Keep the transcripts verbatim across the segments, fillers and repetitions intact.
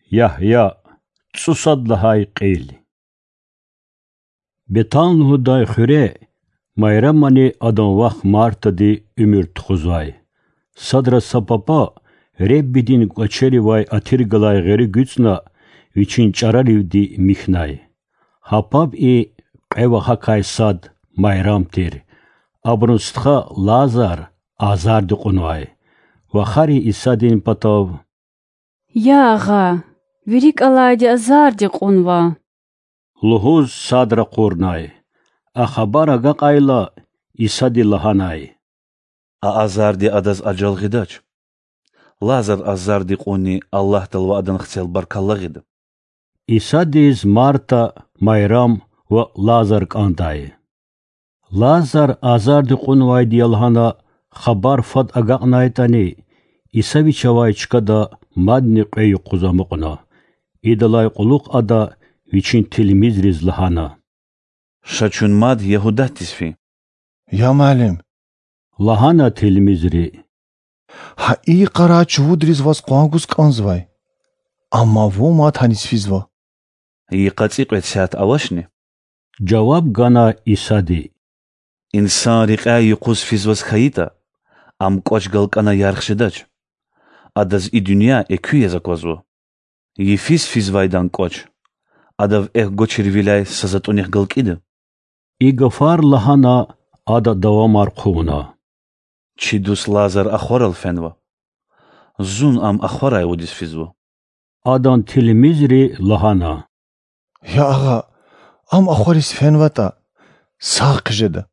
Ягья, цӀусад лагьай кьил. Бетан лугьудай хуьре Майрамани адан вах Мартади уьмуьр тухузвай. Садра са папа Реббидин кӀвачеривай атир галай гъери гуьцӀна, вичин чӀараривди михьнай. Гьа паб и кьве вахакай сад Майрам тир. Абурун стха Лазар азарди кьунвай. Вахари Исадин патав: Я Агъа, ви рикӀ алайди азарди кьунва,— лугьуз сад ракъурнай. А хабар агакьайла, Исади лагьанай: А азарди адаз ажал гъидач. Лазар азарди кьунни Аллагьдал ва Адан хцел баркалла гъида. Исадиз Марта, Майрам ва Лазар кӀандай. Лазар азарди кьунвайди я лагьана хабар фад агакьнайтӀани, Иса вич авай чкада мадни кьве юкъуз амукьна. Идалай кьулухъ Ада Вичин тилмизриз лагьана: Ша чун мад Ягьудатдиз фин. Я Муаллим,— лагьана тилмизри,— гьа и йикъарай чувудриз Ваз къван гуз кӀанзавай, амма Вун мад гьаниз физва. Йикъа цӀикьвед сят авачни? жаваб гана Исади. Инсан рекьяй юкъуз физваз хьайитӀа, ам кӀвач галкӀана ярх жедач. Адаз и дуьнья экуь яз аквазва. Йифиз физвайдан кӀвач, адав экв гвачирвиляй са затӀунихъ галкӀида? И гафар лагьана, Ада давамар хъувуна: Чи дуст Лазар ахварал фенва. Зун ам ахварай вудиз физва. Адан тилмизри лагьана: Я Агъа, ам ахвариз фенватӀа, сагъ хъжеда.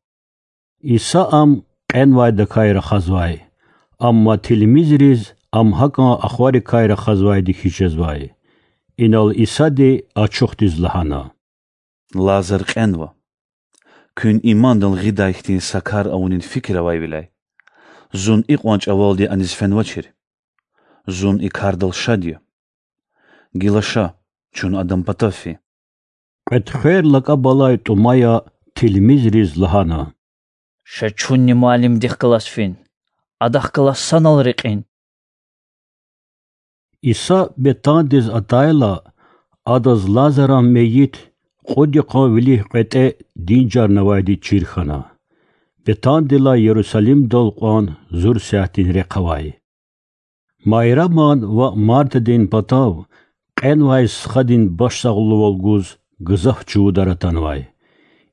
Иса ам кьенвайдакай рахазвай, амма тилмизриз ам гьакӀан ахварикай рахазвайди хьиз жезвай. Инал Исади ачухдиз лагьана: Лазар кьенва. Куьн имандал гъидай хьтин са кар авунин фикир авайвиляй, Зун икьван чӀавалди аниз фенвачир. Зун и кардал шад я. Гила ша, чун адан патав фин. Кьветхвер лакӀаб алай ТӀумая тилмизриз лагьана: Ша чунни Муаллимдихъ галаз фин, Адахъ галаз санал рекьин. Иса Бетандиз атайла, Адаз Лазаран мейит кьуд йикъан вилик кьветӀе динжарнавайди чир хьана. Бетандилай Ярусалимдал кьван зур сятдин рехъ авай. Майраман ва Мартадин патав кьенвай стхадин башсагълувал гуз гзаф чувудар атанвай.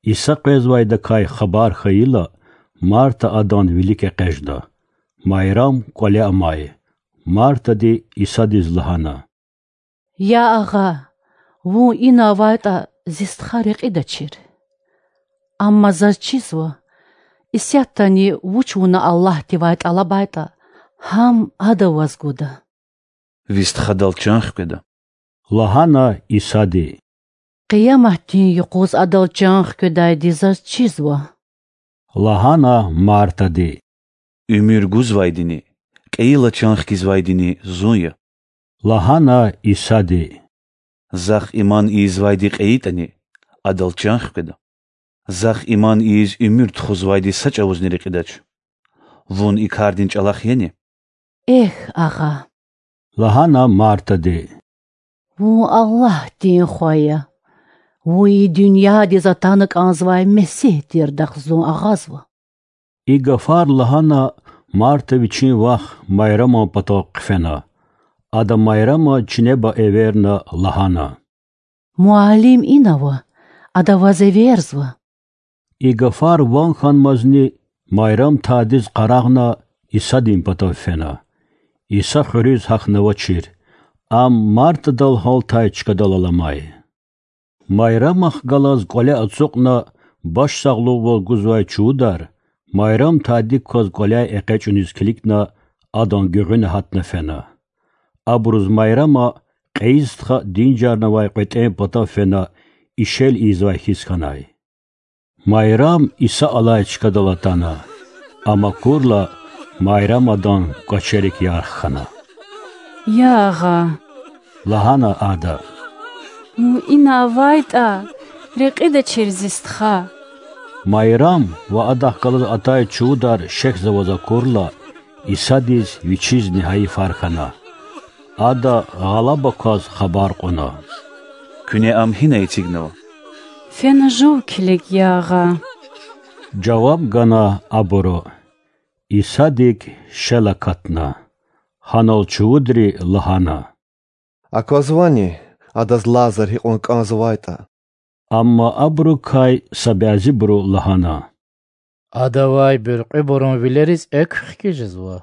Иса къвезвайдакай хабар хьайила, Марта Адан вилик экъечӀна. Майрам кӀвале амай. Мартади Исадиз лагьана: Я Агъа, Вун ина авайтӀа, зи стха рекьидачир. Амма заз чизва, исятдани вуч Вуна Аллагьдивай тӀалабайтӀа, гьам Ада Ваз гуда. Ви стхадал чан хкведа,— лагьана Исади. Къияматдин юкъуз адал чан хкведайди заз чизва,— лагьана Мартади. Уьмуьр гузвайдини, кьейила чан хкизвайдини Зун я,— лагьана Исади. Захъ иман ийизвайди кьейитӀани, адал чан хкведа. Захъ иман ийиз уьмуьр тухузвайди са чӀавузни рекьидач. Вун и кардин чӀалахъ яни? Эхь, Агъа,— лагьана Мартади,— Вун Аллагьдин Хва я. Вун и дуьньядиз атана кӀанзавай Месигь тирдахъ зун агъазва. И гафар лагьана, Марта вичин вах Майраман патав хъфена. Ада Майрама чинеба эверна, лагьана: Муаллим ина ава, Ада Ваз эверзава. И гафар ван хьанмазни Майрам тадиз къарагъна, Исадин патав фена. Иса хуьруьз гьахьнавачир, Ам Мартадал гьалтай чкадал аламай. Майрамахъ галаз кӀвале ацукьна, башсагълугъвал гузвай чувудар, Майрам тадик кваз кӀваляй экъечӀуниз килигна, адан гуьгъуьна гьатна фена. Абуруз Майрама кьейи стха динжарнавай кьветӀен патав фена, ишел ийизвай хьиз хьанай. Майрам Иса алай чкадал атана, ам акурла, Майрам адан кӀвачерик ярх хьана. Я Агъа,— лагьана ада,— Вун ина авайтӀа, рекьидачир зи стха. Майрам ва адахъ галаз атай чувудар шехьзаваз акурла, Исадиз Вичизни гьайифар хьана. Ада гъалаба кваз хабар кьуна: Куьне Ам гьина эцигнава? Фена жув килиг, я Агъа,— жаваб гана абуру. Исадик шел акатна. Гьанал чувудри лагьана: Аквазвани, адаз Лазар гьикьван кӀанзавайтӀа? Амма абурукай са бязибуру лагьана: Адавай буьркьуьбурун вилериз экв хкиз жезва.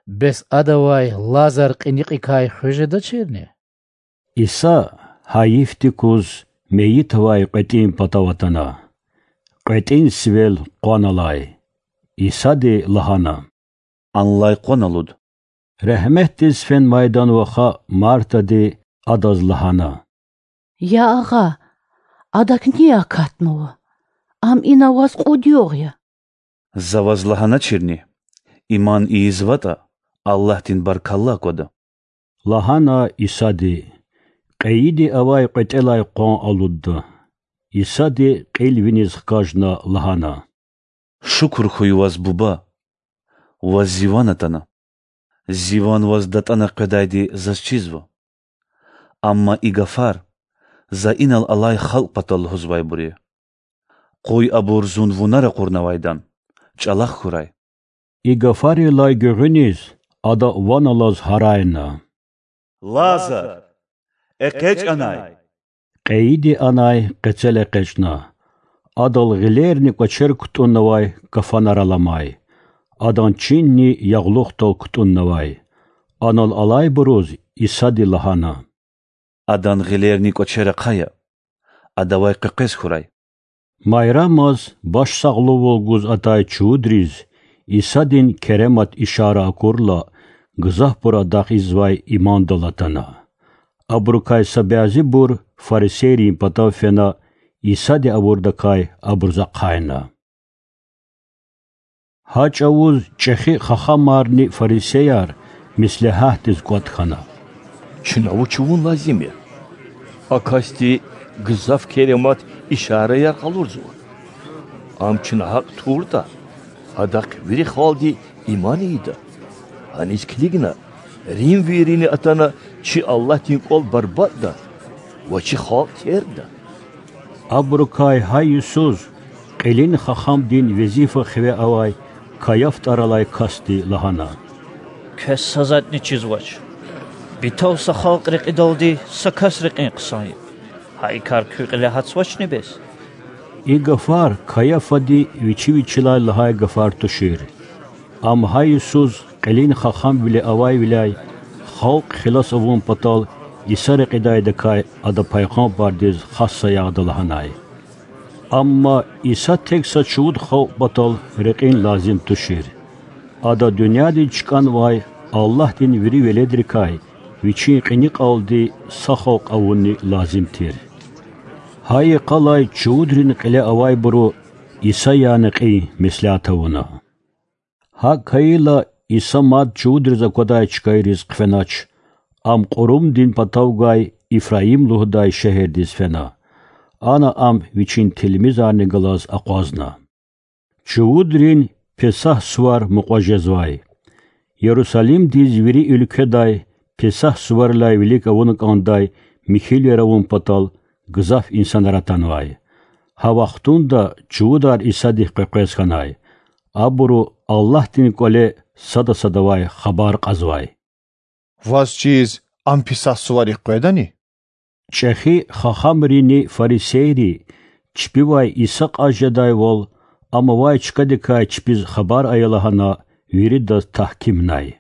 Бес Адавай Лазар кьиникьикай хуьз жедачирни? Иса гьайифдикуз мейит авай кьветӀин патав атана. КьветӀин сивел къван алай. Исади лагьана: Анлай къван алуд. Регьметдиз фенвайдан ваха Мартади Адаз лагьана: Я Агъа, адак ни акатнава? Ам ина ваз кьуд югъ я. За ваз лагьаначирни: иман ийизватӀа, Аллагьдин баркалла аквада,— лагьана Исади. Кьейиди авай кьветӀелай къван алудда. Исади кьил виниз хкажна лагьана: Шукур хьуй ваз, Буба, ваз Зи ван атана. Зи ван ваз датӀана къведайди заз чизва. Амма и гафар За инал алай халкь патал лугьузвайбур я. Къуй абур Зун вуна ракъурнавайдан чӀалахъ хьурай. И гафарилай гуьгъуьниз Ада ван алаз гьарайна: Лазар, экъечӀ анай! Кьейиди анай къецел экъечӀна. Адал гъилерни кӀвачер кутӀуннавай кафанар аламай, адан чинни ягълухдал кутӀуннавай. Анал алайбуруз Исади лагьана: Адан гъилерни кӀвачер ахъая, адавай къекъвез хьурай. Майрамаз башсагълувал гуз атай чувудриз Исадин керемат ишара акурла, гзафбур Адахъ ийизвай имандал атана. Абурукай са бязибур фарисейрин патав фена, Исади авурдакай абуруз ахъайна. Гьа чӀавуз чӀехи хахамарни фарисеяр меслягьатдиз кӀватӀ хьана: Чна вуч авун лазим я? А касди гзаф керемат ишараяр къалурзава. Ам чна гьакӀ туртӀа, адахъ вири халкьди иман ийида. Аниз килигна, римвийрини атана чи Аллагьдин кӀвал барбатӀда ва чи халкь тергда. Абурукай гьа йисуз кьилин хахамдин везифа хиве авай Каяф тӀвар алай касди лагьана: Квез са затӀни чизвач. Битав са халкь рекьидалди са кас рекьин хъсан я. Гьа и кар куь кьиле гьатзавачни бес? И гафар Каяфади вичи вичелай лагьай гафар тушир. Ам гьа йисуз кьилин хахамвиле авайвиляй халкь хилас авун патал Иса рекьидайдакай ада пайгъамбардиз хас саягъда лагьанай. Амма Иса тек са чувуд халкь патал рекьин лазим тушир. Ада дуьньядиз чкӀанвай Аллагьдин вири веледрикай вичин кьиникьалди са халкь авунни лазим тир. Гьа йикъалай чувудрин кьиле авайбуру Иса яна кьин меслят авуна. ГьакӀ хьайила, Иса мад чувудриз аквадай чкайриз хъфенач, Ам Кьурумдин патав гвай Ифраим лугьудай шегьердиз фена. Ана Ам Вичин тилмизарни галаз акъвазна. Чувудрин Песагь сувар мукьва жезвай. Ярусалимдиз вири уьлкведай Песагь суварилай вилик авуна кӀандай михьивилер авун патал гзаф инсанар атанвай. Гьа вахтунда чувудар Исадихъ къекъвез хьанай. Абуру Аллагьдин КӀвале сада садавай хабар кьазвай: Ваз чиз ам Песагь суварихъ къведани? ЧӀехи хахамрини фарисейри чпивай Иса кьаз жедайвал, Ам авай чкадикай чпиз хабар ая лагьана, виридаз тагькимнай.